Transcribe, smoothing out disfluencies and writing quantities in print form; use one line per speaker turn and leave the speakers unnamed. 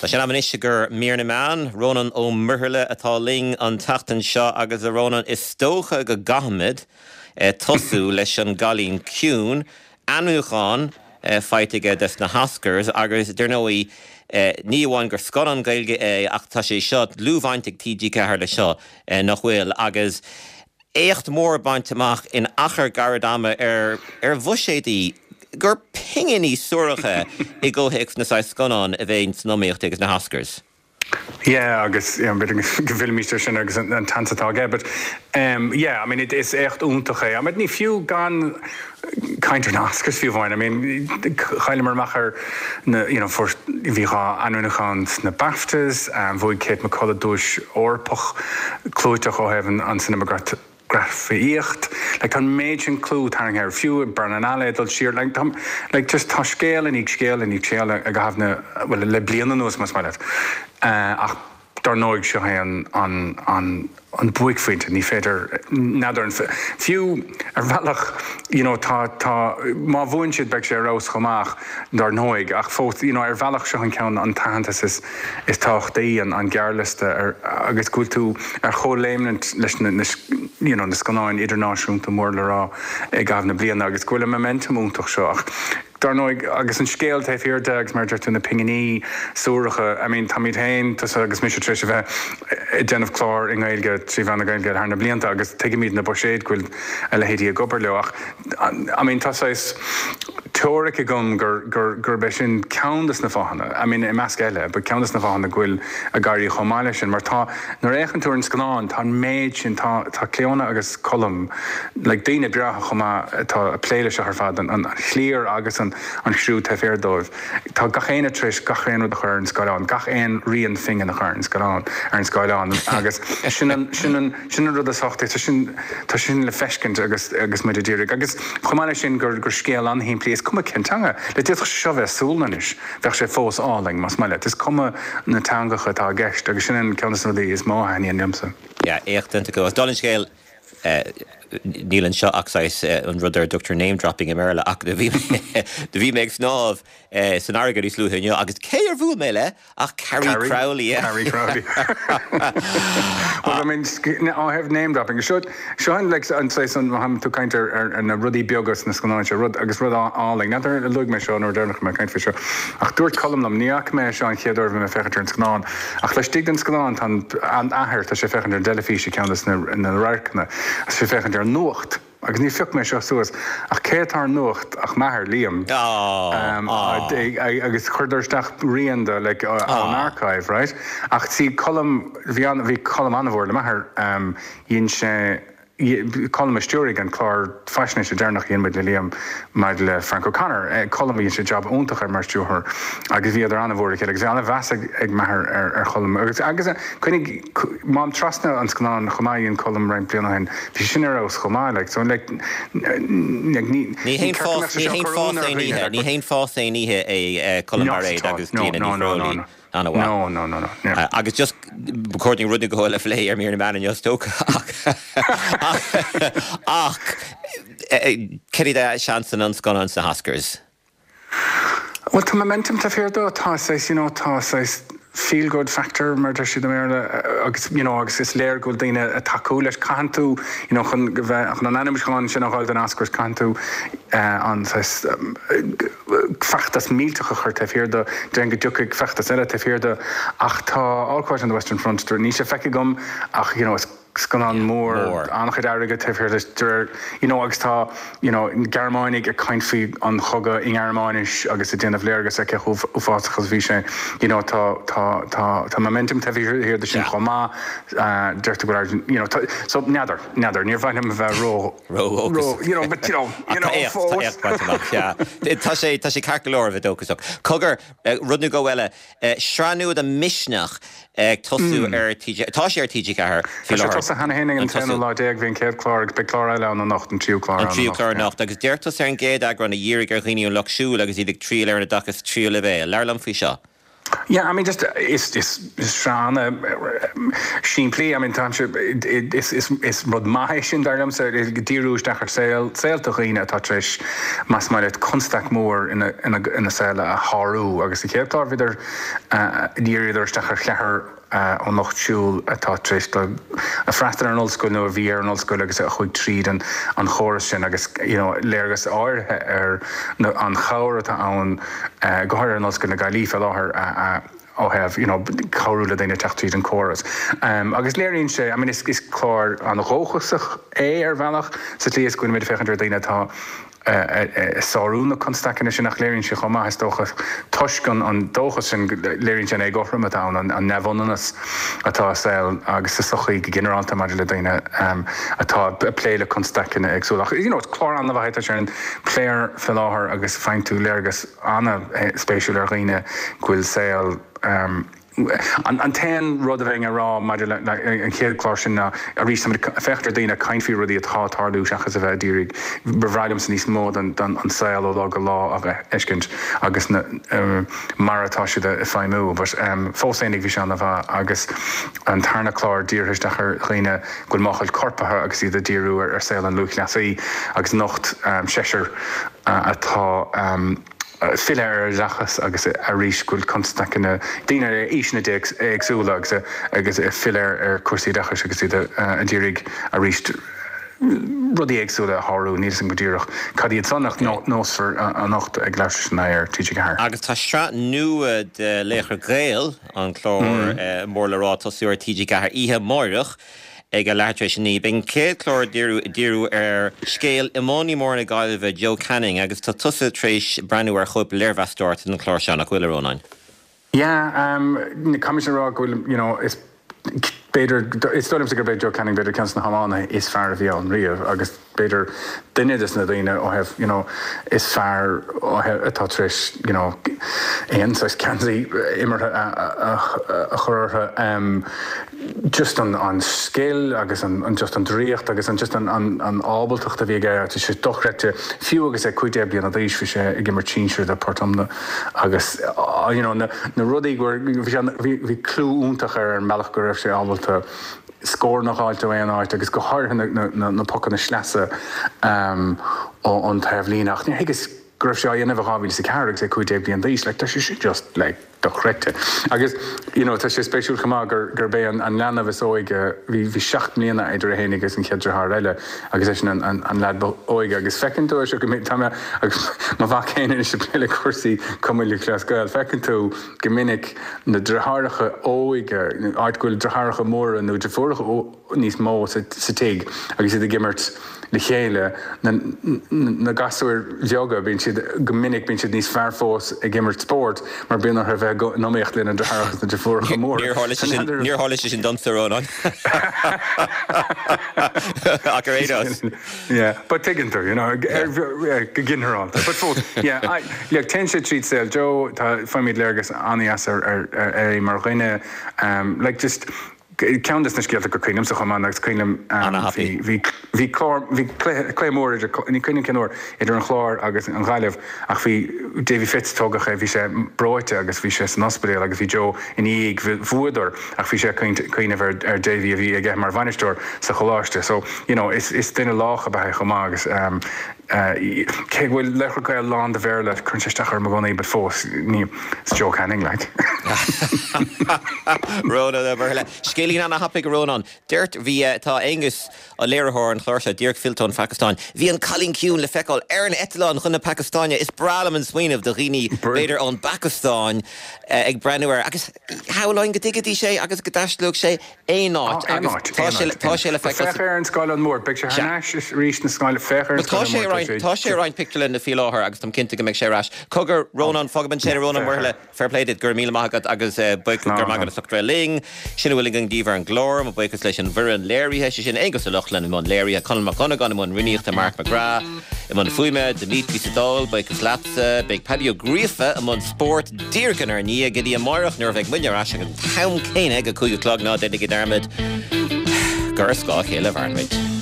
Tá sé in am anois i gcomhair Mír na Meán. Rónán Ó Muirthile atá linn an tseachtain seo agus a Rónáin is dócha go gcaithfimid tosú leis an gCailín Ciúin, ainmniúchán faighte aige dos na hOscars agus dar ndóigh ní amháin gur scannán Gaeilge é ach tá sé seo dlúthbhaint ag TG4 leis seo nach bhfuil agus éacht mór bainte amach in achar gairid ama ar ar bhuiséadaí gur pinginí suaracha i gcomhthéacs na saghas scannán a bheidh san iomaíocht ag na hOscars.
Yeah agus you know b'fhéidir go bhfillfimís ar sin agus an tseans atá aige but um yeah I mean is éacht iontach é. I mean ní fiú gan caint ar na Oscars fiú amháin I mean chailleamar amach ar na you know fuair bhí 2 ainmniúchán sna BAFTAs bhuaigh Kate McCullough duais Eorpach clúiteach ó thaobh an cineamatagrafaíocht. Like tá an méid sin clú tarraingthe air, fiú Berlinale ag dul siar, like tá, like just tá scéal i ndiaidh scéal i ndiaidh scéal i gcaitheamh na, bhuel le bliain anuas más maith leat. Ach dar ndóigh seo é an, an, an, an buaicphointe, ní féidir, n'fheadar an, fiú ar bhealach you know tá, tá, má bhuann siad beidh sé ar fheabhas chomh maith ach dar ndóigh, ach fós you know ar bhealach seo an ceann, an t-aitheantas is, is tábhachtaí an gearrliosta ar agus go bhfuil tú ar chomhléimnint leis na you know na scannáin idirnáisiúnta mór le rá i gcaitheamh na bliana agus go bhfuil an momentum iontach seo ach dar ndóigh agus an scéal taobh thiar de agus mar a deir tú na pinginí suaracha I mean táimid féin tusa agus mise tar éis a bheith ag déanamh clár i nGaeilge trí mheán na Gaeilge thar na blianta agus tuigimid na buiséid go bhfuil a leithéidí ag obair leo ach I mean tá saghas teoiric agam gur, gur, gurb é sin ceann des na fáthanna, I mean i measc eile, but ceann des na fáthanna go bhfuil ag éirí chomh maith leis sin mar tá, nuair a fhéachann tú ar an scannán tá an méid sin, tá, tá Clíona agus Colm, like daoine breátha chomh maith atá ag plé leis seo ar fad, an, an chliar agus an, an chriú taobh thiar dóibh, tá gach éinne tar éis gach aon rud a chur ar an scáileán, gach aon rian phingin a chur ar an scáileán, ar an scáileán agus sin an, sin an, Sin an rud is tábhachtaí, tá sin, tá sin le feiscint agus, agus muid ag iarraidh. Agus chomh maith leis sin gur, gur scéal an-shimplí, is cuma cén teanga, like d'fhéadfadh sé seo bheith i Sualainnis, bheadh sé fós álainn, más maith leat. Is cuma na teangacha atá i gceist agus sin an ceann de na rudaí is mó a thaitníonn liomsa.
Yeah, éacht déanta acu. Agus dála an scéil, níl anseo ach saghas an rud ar a dtugtar name dropping i mBéarla ach do bhí mé, do bhí mé ag snámh san fharraige níos luaithe inniu agus cé ar bhuail mé le ach Carrie Crowley.
Carrie Crowley. Well, I mean, ó thaobh name dropping, seo, seo an, like, an saghas, an, má tá tú ag caint ar, ar, ar na rudaí beaga sna scannáin seo, rud, agus rud álainn, n'fheadar ar luaigh mé seo an uair deireanach a bhí mé ag caint faoi seo, ach dúirt Colm liom, ní fhaca mé é seo an chéad uair a bhí mé ag féachaint ar an scannán, ach laistigh den scannán tá an, an athair, tá sé ag féachaint ar an dteilifís i gceann de na, na radharcanna, tá sé ag féachaint ar an nuacht. Agus ní phioc mé seo suas, ach cé atá ar an nuacht ach m'athair, Liam. Agus chuireadar isteach rian de, like, ón archive, right? Ach see, Colm, bhí an, bhí Colm an-mhór le m'athair, dhein sé, Colm a stiúraigh an clár faisnéise deireanach a dhein muid le Liam maidir le Frank O'Connor. Colm, dhein sé jab iontach air mar stiúrthóir agus bhíodar an-mhór le chéile agus bhí an-mheas ag m'athair ar Cholm. Agus, agus cuimhnigh, Mám Trasna an scannán chomh maith a dhein Colm roinnt bliana ó shin, bhí sé sin ar fheabhas chomh maith, like, so like, like ní,
Ní haon ceart go mbeadh sé seo ag cur ionadh ar dhaoine, like, Ní haon fás aon oíche é Colm Bairéad agus Clíona Ní Chróilí. An-mhaith.
No, no, no, no, yeah.
Agus just, ba chóir dúinn rud nó dhó eile a phlé ar Mír na Meán inniu is dócha ach, ach, cad iad a seansanna an scannáin sna hOscars?
Bhuel, tá momentum taobh thiar dó, tá saghas, you know, tá saghas feel good factor, mar a deir siad i mBéarla, agus, you know, agus is léir go bhfuil daoine ag tacú leis. Caitheann tú, you know, chun go bheith, chun an ainmniúchán sin a fháil don Oscars, caitheann tú an saghas feachtas millteach a chur taobh thiar de, déarfainn go dtiocfaidh feachtas eile taobh thiar de. Ach tá All Quiet on the Western Front, níl sé feicthe agam ach, you know, is. scannán mór, an-chuid airgid taobh thiar de, de réir, you know, agus tá, you know, Gearmánaigh ag caint faoi an chogadh i nGearmáinis agus ag déanamh léargas ar cé chomh uafásach is a bhí sé, you know, tá, tá, tá, tá momentum taobh thiar de sin chomh maith, deirtear go bhfuil airgid, you know, tá, so, n'fheadar, n'fheadar, níor mhaith liom a bheith ró,
ró-dhóchasach.
you know, but, you know, you know, fós.
Tá éacht bainte amach, yeah. Tá sé, tá sé ceart go leor a bheith dóchasach. Cogar, rud nó dhó eile, Sraith nua de Misneach ag tosú ar TG, tá sé ar
TG4 faoi láthair. Tá sé tosaithe cheana féin ag an t-aonú lá déag, bhí an chéad chlár agus beidh clár eile ann anocht, an tríú clár
ann anocht. An tríú clár anocht. Agus deir tusa ar an gcéad eagrán a dhírigh ar dhaoine ón lucht siúil agus iad ag triall ar an oideachas tríú leibhéal. Labhair liom faoi seo.
Yeah, I mean just is is sraith an-simplí, I mean táimse is is is rud maith é sin dar liomsa, díriú isteach ar saol saolta dhaoine atá tar éis más maith leat constaic mór ina ina ina saol a shárú agus sa chéad chlár bhíodar dhíríodar isteach ar cheathrar ón lucht siúil atá tar éis dul a freastal ar an ollscoil nó a bhí ar an ollscoil agus a chuaigh tríd an an chóras sin agus you know léargas áirithe ar na an chabhair atá ann go háirithe in Ollscoil na Gaillimhe fé láthair ó thaobh you know cabhrú le daoine teacht tríd an córas. Agus léiríonn sé I mean is is clár an-dhóchasach é ar bhealach sa tslí is go bhfuilimid ag féachaint ar daoine atá ag sárú na constaiceanna sin ach léiríonn sé chomh maith, is dócha, toisc an dóchas sin, léiríonn sé an éagothroime atá ann, an neamhionannas atá i saol agus sa tsochaí go ginearálta maidir le daoine atá ag plé le constaiceanna éagsúla. Ach, you know, is clár an-mhaith é, tá sé ar an player fé láthair agus faigheann tú léargas an-spéisiúil ar dhaoine go bhfuil saol, An t-aon rud a bheinn a rá maidir le an chéad chlár sin ná, arís, táimid ag féachaint ar daoine ag caint faoi rudaí atá ag tarlú seachas a bheith ag iarraidh, ba bhreá liomsa níos mó den an saol ó lá go lá a fheiscint agus na mar atá siad ag feidhmiú. But fós fhéinig bhí sé an-mhaith agus an tarna clár dírithe isteach ar dhaoine go bhfuil máchail coirp orthu agus iad ag díriú ar saol an lúthchleasaí agus anocht seisear atá filleadh ar oideachas agus arís go bhfuil constaiceanna, daoine ar aoiseanna éagsúla agus agus ag filleadh ar chúrsaí oideachais agus iad ag iarraidh arís rudaí éagsúla a shárú. Níl 'fhios a'm go díreach cad iad san ach neosfar anocht ag leathuair tar éis a 9 ar TG4.
Agus tá sraith nua de Laochra Gael, an clár mór le rá, ag tosú ar TG4 oíche amáireach. Ag a leathuair tar éis a 9, beidh an chéad chlár ag díriú ar scéal iománaí mór na Gaillimhe, Joe Canning, agus tá tusa tar éis breathnú ar chóip léirmheastóireachta den chlár seo, nach bhfuil, a Rónáin?
Yeah, caithfidh mise a rá go bhfuil, you know, is b'fhéidir, is dóigh liomsa gurb é Joe Canning b'fhéidir ceann de na hiománaithe is fearr a bhí ann riamh agus b'fhéidir duine de na daoine ó thaobh, you know, is fearr ó thaobh, atá tar éis, you know, aon saghas geansaí imeartha a chur orthu. Just an an scil agus an just an draíocht agus an just an an ábaltacht a bhí aige, tá sé dochreidte. Fiú agus é 15 bliana d'aois bhí sé ag imirt sinsir do Port Omna agus you know na na rudaí go bhí sé bhí bhí clú iontach air ar an mbealach go raibh sé ábalta scóranna a dh'fháilt ó aon áit agus go háirithe na na na pocanna sleasa ón taobhlíne ach níor thuigeas go raibh sé á dhéanamh i 2004 agus é 15 bliain d'aois like tá sé sin just like dochreidte. Agus you know tá sé spéisiúil chomh maith gur gurb é an an leanbh is óige bhí bhí 7 mbliana idir é fhéinig agus an chéad deartháir eile agus eisean an an an leaid ba óige agus feiceann tú é seo go minic tá mé agus mo mhac féin anois ag plé le cúrsaí Cumann Lúthchleas Gael feiceann tú go minic na deartháireacha óige, áit go bhfuil deartháireacha móra nó deirfiúracha níos mó sa tigh agus iad ag imirt le chéile, na gasúir bheaga, bíonn siad, go minic, bíonn siad níos fearr fós ag imirt spóirt mar bíonn orthu a bheith in iomaíocht lena ndeartháireacha agus na deirfiúracha móra.
Níor tharla sé sin, níor tharla sé sin domsa, a Rónáin. Ach ar aon nós.
Yeah, but tuigeann tú, you know, go ginearálta. But fós, yeah, I, like, téann sé tríd saol Joe, tá, faighimid léargas an-dheas ar, ar, ar é mar dhuine, um, like, just, ceann des na scéalta gur cuimhin liomsa chomh maith, agus cuimhin liom, um, bhí, bhí, bhí clár, bhí cluiche, cluiche mór idir, ní cuimhin liom cén uair, idir an Chlár agus an Ghaillimh, ach bhí Davy Fitz, tógadh é, bhí sé breoite agus bhí sé san ospidéal agus bhí Joe ina dhiaidh, bhuadar ach bhí sé ag cuimhneamh ar ar Davy a bhí aige mar bhainisteoir sa choláiste. So, you know, is is duine lách ab ea é chomh maith agus ehm cé go bhfuil Laochra Gael lán de Bhéarla, cuireann sé isteach orm i gcónaí but fós, ní, it's Joe Canning like.
Rónán Ó Muirthile. Scéilín ana-thapaidh, a Rónáin. Dúirt, bhí, tá Aonghus, léiritheoir an chláir seo, díreach fillte ón Phacastáin. Bhí an Cailín Ciúin le feiceáil ar an eitleán chun na Pacastáine. Is breá liom an smaoineamh de dhaoine, b'fhéidir ón bPacastáin, ag breathnú air agus shamhlóinn go dtuigfidís é agus go dtaistealódh sé aon áit agus tá sé tá sé le feiceáil
Féach ar an scáileán mór. Beidh sé thar n-ais arís na scáileán. Féach ar an scáileán
mór. Tá sé ar roinnt pictiúrlanna faoi láthair agus táim cinnte go mbeidh sé ar ais. Cogar, Rónán, fágfaidh muid ansin é, Rónán Ó Muirthile. Fair play duit, go raibh míle maith agat agus buíochas, go raibh maith agat as ucht a bheith linn. Sin a bhfuil againn daoibh ar an gclár. Mo bhuíochas leis an bhfoireann léirithe, sé sin Aonghus Ó Lochlainn i mbun léirithe, Conall Mac Dhonnagáin i mbun rúnaíochta, Mark McGrath i mbun fuaime, Dimitri sa Dáil, buíochas leatsa. Beidh Paddy Ó Gríofa i mbun spóirt díreach inár ndiaidh go dtí amáireach nuair a bheidh muidne ar ais ag an t-am céanna ag a 5 a chlog, ná déanaigí dearmad gur ar scáth a chéile a mhaireann muid.